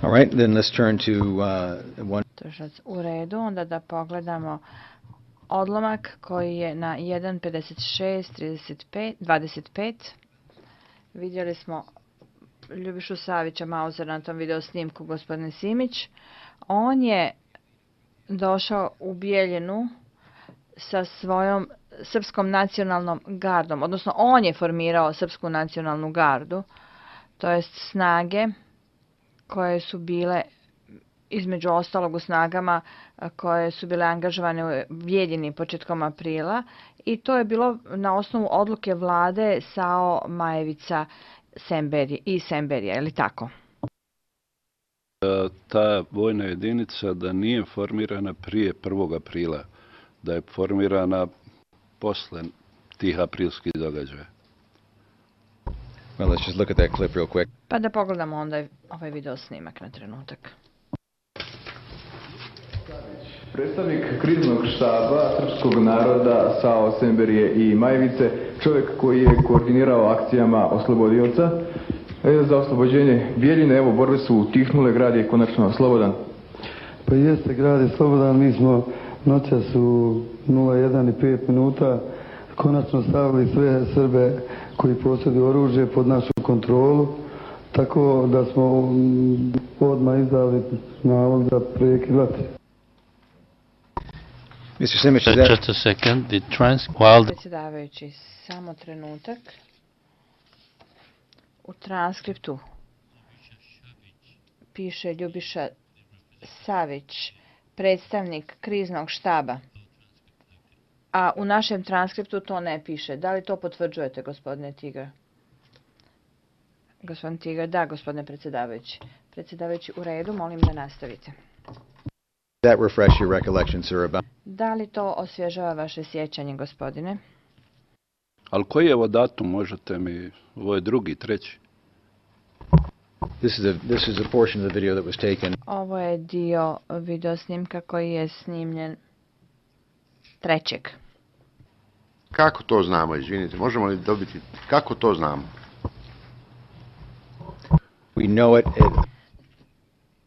All right, then let's turn to one. U redu, onda da pogledamo odlomak koji je na 1.56.25. Vidjeli smo Ljubišu Savića Mauzera na tom video snimku, gospodine Simić. On je došao u Bijeljinu sa svojom srpskom nacionalnom gardom, odnosno on je formirao srpsku nacionalnu gardu, to jest snage koje su bile između ostalog u snagama koje su bile angažovane u Bijeljini početkom aprila i to je bilo na osnovu odluke vlade Sao Majevica i Semberija, je li tako? Ta vojna jedinica da nije formirana prije 1. aprila, da je formirana posle tih aprilskih događaja. Well, let's just look at that clip real quick. Pa da pogledamo onda ovaj video snimak na trenutak. Predstavnik kriznog štaba srpskog naroda Sao Semberije i Majevice, čovjek koji je koordinirao akcijama oslobodioca za oslobođenje Bijeljine. Evo, borbe su utihnule, grad je konačno slobodan. Pa jeste, grad je slobodan, mi smo noćas u 01:05 konačno stavili sve Srbe koji posjeduju oružje pod našu kontrolu, tako da smo odmah izdali nalog za prekid vatre. Mr. Simić, just a second. Predsjedavajući, samo trenutak. U transkriptu piše Ljubiša Savić, predstavnik kriznog štaba, a u našem transkriptu to ne piše. Da li to potvrđujete, gospodine Tigar? Gospodin Tigar, da, gospodine predsjedavajući. Predsjedavajući, u redu, molim da nastavite. that refresh your recollection, sir, about... Da li to osvježava vaše sjećanje, gospodine? Ali koji je ovo datum, možete mi, ovo je drugi, treći? This is a portion of the video that was taken. Ovo je dio video snimka koji je snimljen 3. Kako to znamo, izvinite, možemo li dobiti, kako to znamo? We know it.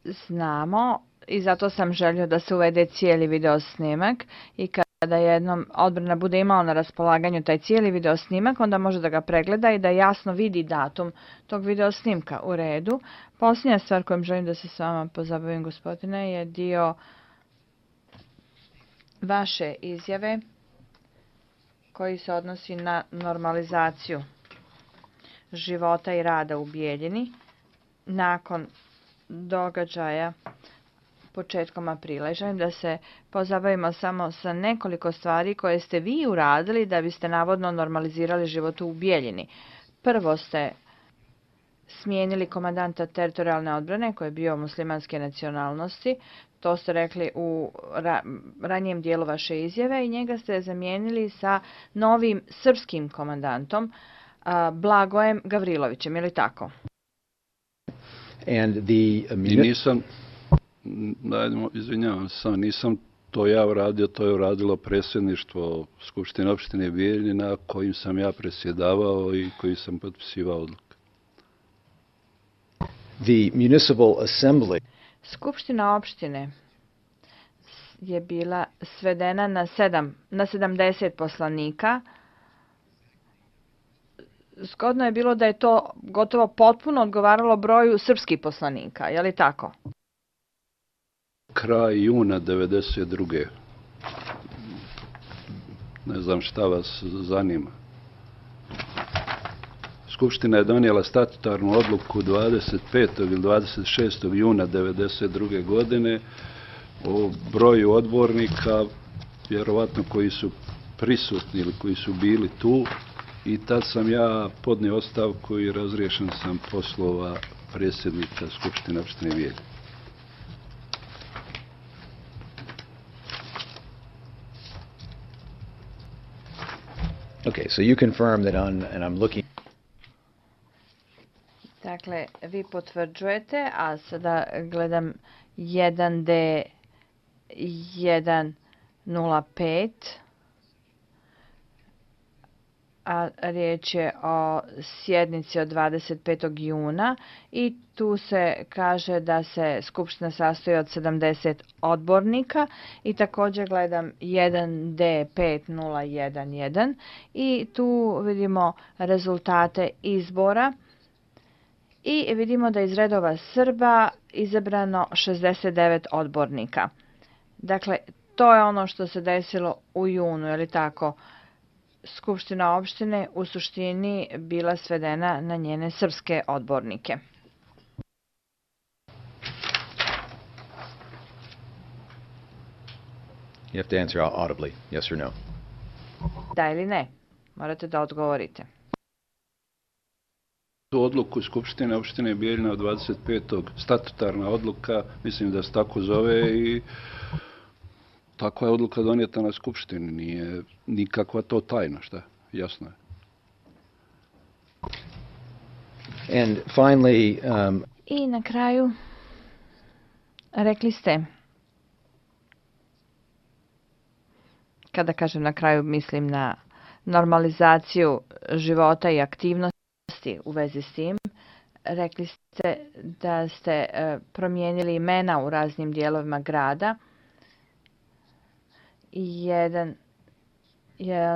Znamo i zato sam želio da se uvede cijeli video snimak i kada jednom odbrana bude imala na raspolaganju taj cijeli video snimak, onda može da ga pregleda i da jasno vidi datum tog video snimka. U redu. Posljednja stvar kojom želim da se s vama pozabavim, gospodine, je dio vaše izjave koji se odnosi na normalizaciju života i rada u Bijeljini nakon događaja početkom aprila. I želim da se pozabavimo samo sa nekoliko stvari koje ste vi uradili da biste navodno normalizirali život u Bijeljini. Prvo ste smijenili komandanta teritorijalne odbrane koji je bio muslimanske nacionalnosti. To ste rekli u ranijem dijelu vaše izjave i njega ste zamijenili sa novim srpskim komandantom Blagojem Gavrilovićem, je li tako? And I nisam, izvinjavam se, nisam to ja uradio, to je uradilo predsjedništvo Skupštine opštine Bijeljina kojim sam ja predsjedavao i koji sam potpisivao odluke. The municipal assembly. Skupština opštine je bila svedena na 70 poslanika. Zgodno je bilo da je to gotovo potpuno odgovaralo broju srpskih poslanika, je li tako? Kraj juna 1992. Ne znam šta vas zanima. Skupština je donijela statutarnu odluku 25. ili 26. juna 1992. godine o broju odbornika, vjerovatno koji su prisutni ili koji su bili tu, i tad sam ja podnio ostavku i razriješen sam poslova predsjednika Skupštine opštine Bijeljina. Okay, so you confirm that and I'm looking. Dakle, vi potvrđujete, a sada gledam 1D105. a riječ je o sjednici od 25. juna i tu se kaže da se skupština sastoji od 70 odbornika i također gledam 1D5011 i tu vidimo rezultate izbora i vidimo da iz redova Srba izabrano 69 odbornika. Dakle, to je ono što se desilo u junu, je li tako? Skupština opštine u suštini bila svedena na njene srpske odbornike. You have to answer audibly, yes or no. Da ili ne? Morate da odgovorite. Tu odluku Skupštine opštine Bijeljina od 25. statutarna odluka, mislim da se tako zove i takva je odluka donijeta na Skupštini, nije nikakva to tajna, šta? Jasno je. And finally, I na kraju, rekli ste, kada kažem na kraju, mislim na normalizaciju života i aktivnosti u vezi s tim, rekli ste da ste promijenili imena u raznim dijelovima grada. Jedan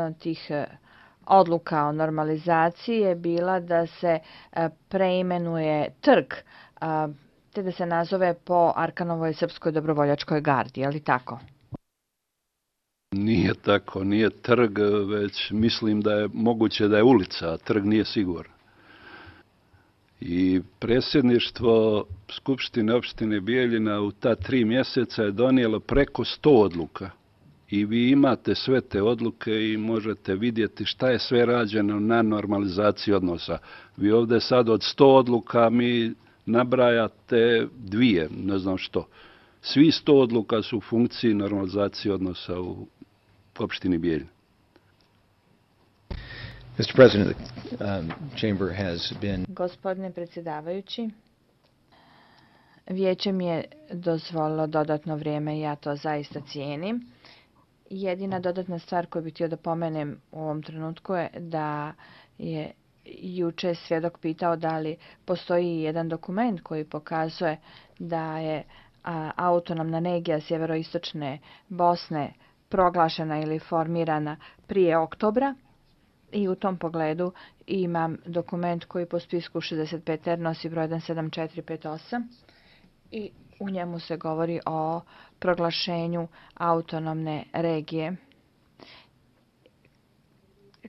od tih odluka o normalizaciji je bila da se preimenuje trg, te da se nazove po Arkanovoj srpskoj dobrovoljačkoj gardi, je li tako? Nije tako, nije trg, već mislim da je moguće da je ulica, a trg nije siguran. I predsjedništvo Skupštine opštine Bijeljina u ta 3 mjeseca je donijelo preko 100 odluka. I vi imate sve te odluke i možete vidjeti šta je sve rađeno na normalizaciji odnosa. Vi ovdje sad od 100 odluka mi nabrajate 2, ne znam što. Svi 100 odluka su u funkciji normalizacije odnosa u opštini Bijeljina. Mr. President, the chamber has been... Gospodine predsjedavajući, vijeće mi je dozvolilo dodatno vrijeme i ja to zaista cijenim. Jedina dodatna stvar koju bih htio da pomenem u ovom trenutku je da je juče svjedok pitao da li postoji jedan dokument koji pokazuje da je autonomna regija sjeveroistočne Bosne proglašena ili formirana prije oktobra. I u tom pogledu imam dokument koji po spisku 65R nosi broj 17458 i u njemu se govori o proglašenju autonomne regije.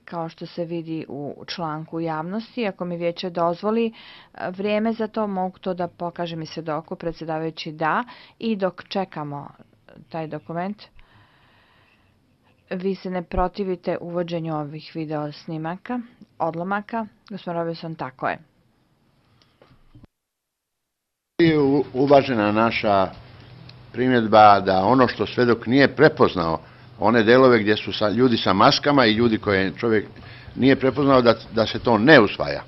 Kao što se vidi u članku javnosti, ako mi vijeće dozvoli vrijeme za to, mogu to da pokažem i svjedoku, predsjedavajući da, i dok čekamo taj dokument, vi se ne protivite uvođenju ovih video snimaka, odlomaka. Gospodin Robinson, tako je. Uvažena naša primjedba da ono što svedok nije prepoznao, one delove gdje su ljudi sa maskama i ljudi koje čovjek nije prepoznao, da se to ne usvaja.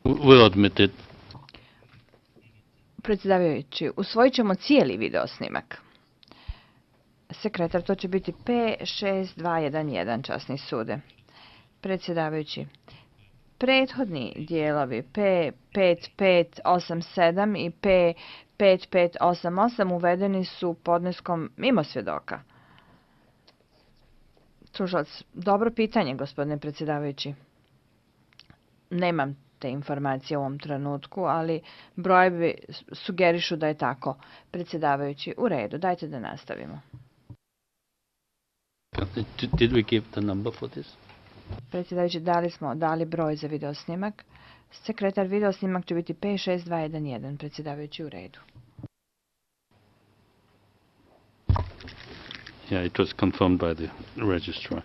We'll admit it. Predsjedavajući, usvojit ćemo cijeli video snimak. Sekretar, to će biti P6211, časni sude. Predsjedavajući, prethodni dijelovi P5587 i P5588 uvedeni su podneskom mimo svjedoka. Tužilac, dobro pitanje, gospodine predsjedavajući. Nemam te informacije u ovom trenutku, ali brojevi sugerišu da je tako. Predsjedavajući, u redu, dajte da nastavimo. Did we give the number for this? Predsjedavajući, dali broj za videosnimak. Sekretar, videosnimak će biti P6211. Predsjedavajući, u redu. Yeah, it was confirmed by the registrar.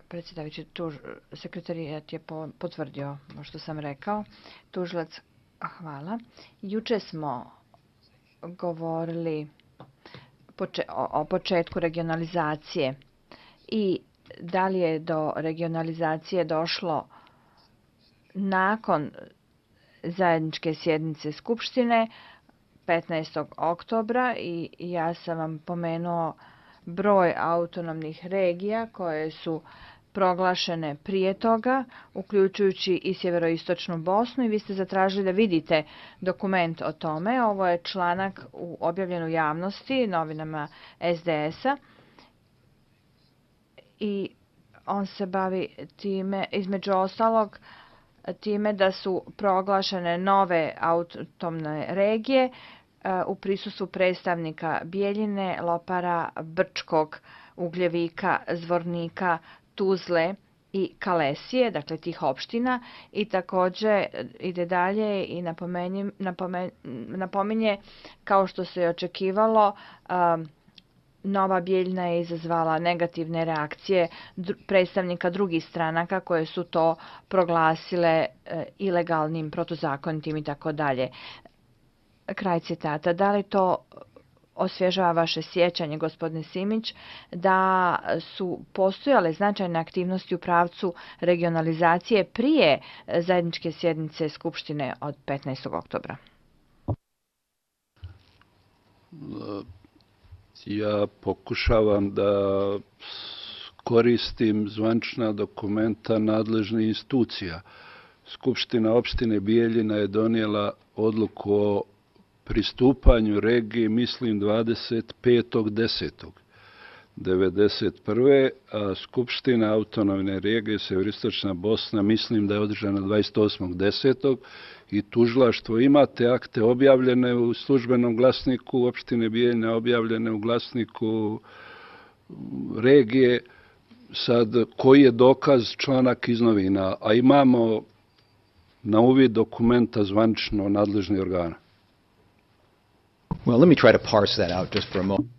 Predsjedavajući, sekretarijat je potvrdio što sam rekao. Tužilac, hvala. Juče smo govorili o početku regionalizacije i da li je do regionalizacije došlo nakon zajedničke sjednice Skupštine 15. oktobra i ja sam vam pomenuo broj autonomnih regija koje su proglašene prije toga, uključujući i sjeveroistočnu Bosnu, i vi ste zatražili da vidite dokument o tome. Ovo je članak objavljen u javnosti, novinama SDS-a, i on se bavi time, između ostalog, time da su proglašene nove autonomne regije u prisustvu predstavnika Bijeljine, Lopara, Brčkog, Ugljevika, Zvornika, Tuzle i Kalesije, dakle tih opština, i također ide dalje i napominje, kao što se je očekivalo, Nova Bijeljina je izazvala negativne reakcije predstavnika drugih stranaka koje su to proglasile ilegalnim, protuzakonitim i tako dalje. Kraj citata. Da li to osvježava vaše sjećanje, gospodine Simić, da su postojale značajne aktivnosti u pravcu regionalizacije prije zajedničke sjednice Skupštine od 15. oktobra? Ja pokušavam da koristim zvanična dokumenta nadležnih institucija. Skupština opštine Bijeljina je donijela odluku o pristupanju regiji, mislim, 25.10.1991. a Skupština autonomne regije Sjeveroistočna Bosna, mislim da je održana 28.10. i tužilaštvo ima te akte objavljene u službenom glasniku opštine Bijeljina, objavljene u glasniku regije. Sad, koji je dokaz, članak iz novina, a imamo na uvid dokumenta zvanično nadležnih organa. Well, let me try to parse that out just for a moment.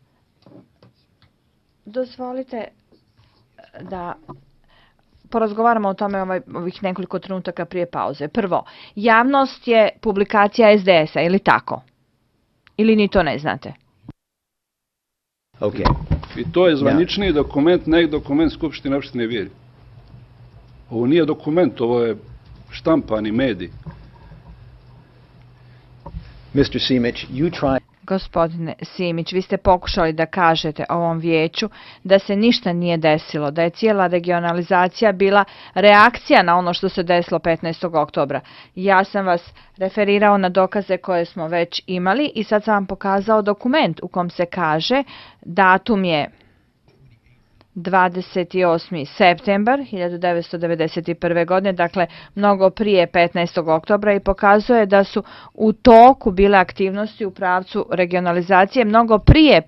Dozvolite da porazgovaramo o tome ovih nekoliko trenutaka prije pauze. Prvo, javnost je publikacija SDS-a, ili tako? Ili ni to ne znate? Okay. I to je zvanični dokument, ne dokument Skupštine opštine Bijeljina. Ovo nije dokument, ovo je štampani medij. Mr. Simić, you try... Gospodine Simić, vi ste pokušali da kažete ovom vijeću da se ništa nije desilo, da je cijela regionalizacija bila reakcija na ono što se desilo 15. oktobra. Ja sam vas referirao na dokaze koje smo već imali i sad sam vam pokazao dokument u kom se kaže datum je 28. septembar 1991. godine, dakle mnogo prije 15. oktobra, i pokazuje da su u toku bile aktivnosti u pravcu regionalizacije mnogo prije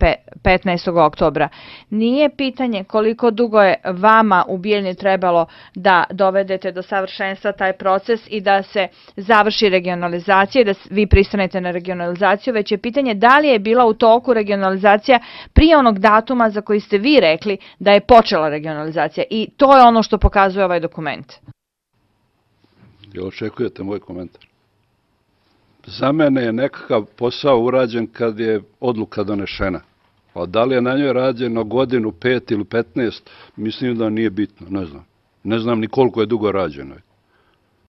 15. oktobra. Nije pitanje koliko dugo je vama u Bijeljini trebalo da dovedete do savršenstva taj proces i da se završi regionalizacija i da vi pristanete na regionalizaciju, već je pitanje da li je bila u toku regionalizacija prije onog datuma za koji ste vi rekli da je počela regionalizacija, i to je ono što pokazuje ovaj dokument. Jel očekujete moj komentar? Za mene je nekakav posao urađen kad je odluka donešena. A da li je na njoj rađeno godinu, 5 ili 15, mislim da nije bitno, ne znam. Ne znam ni koliko je dugo rađeno.